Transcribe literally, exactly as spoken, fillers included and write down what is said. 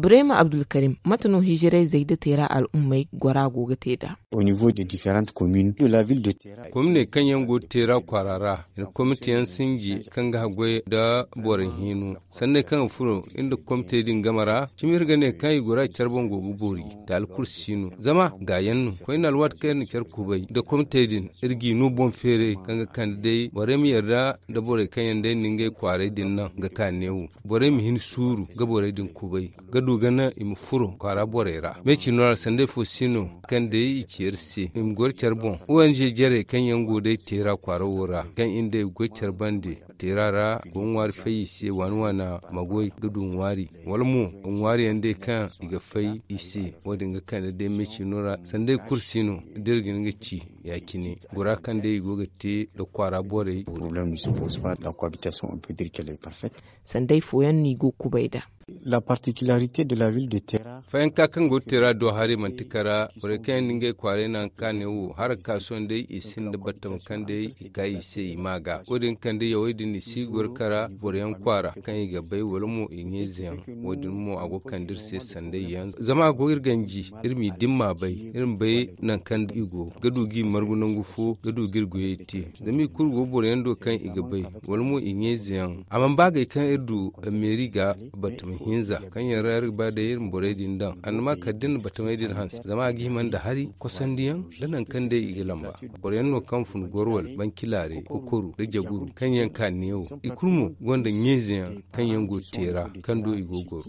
Ibrahima Abdulkarim, mate no hijiray zayda teera al'ummey gora go ga te nd'a? Komine kaŋ yaŋ go teera kwaara ra, i na komite yaŋ sinji kaŋ ga haggoy nda borey hino. Sanney kaŋ ga furo iri nda komitey din game ra, cimi iri ga ne kaŋ i gora care boŋ go ga boori, taali kulu si no. Zama gaayaŋ no koyne alwaati kaŋ iri na care kubay nda komitey din, iri g'i no boŋ feeray kaŋ ga kande day borey ma yarda nda borey kaŋ yaŋ day na ngey kwaaray din naŋ ga ka neewo. Borey ma hin suuru ga borey din kubay, ga du ga naŋ i ma furo kwaara borey ra. Me ciino ra sanday fo si no kaŋ day i ci iri se i ma goro care boŋ. O n g jarey kaŋ yaŋ go day teera kwaara wo ra, kaŋ iri nda i ga goy care bande teera ra go ŋwaari fay i se waani waana ma goy ga du ŋwaari, wala mo ŋwaari yaŋ day kaŋ i ga fay i se. Wo- din ga kande day me ciino ra sanday kulu si no da iri ga hin ga ci ya- cine gora kaŋ day i go ga te nda kwaara borey. Sanday fooyaŋ no i go kubay nd'a. Fayanka kaŋ go ga teera do haray manti kara borey kaŋ yaŋ na ngey kwaaray naŋ kaŋ a ne wo hara kaaso nda i sinda battam kaŋ day i ka i se i ma ga wo- din kaŋ day yawey din i si goro kara boroyaŋ kwaara kaŋ i ga bay wala mo i ɲeeze yaŋ. Wo- din mo a go ga kande iri se sanday yaŋ zama a go iri ganji iri m'i dimma bay iri ma bay naŋ kaŋ i go ga du g'i margu nangu fo ga du g'iri goyey te. Zama i kulu go boroyaŋ do kaŋ i ga bay wala mo i ɲeeze yaŋ a mana ba gay kaŋ iri du meeri ga batama hinza kaŋ yaŋ ra iri ga ba day iri ma borey din daŋ annama kala da iri na batamey din hanse zama a ga hima nda hari kosandiyaŋ da nangu kaŋ day i ga lamba. Boroyaŋ no kaŋ fun gorwal bancilaare kokoru nda jaguru kaŋ yaŋ ka neewo i kulu mo gonda ɲeeze yaŋ kaŋ yaŋ go ga teera kaŋ do i go ga goro.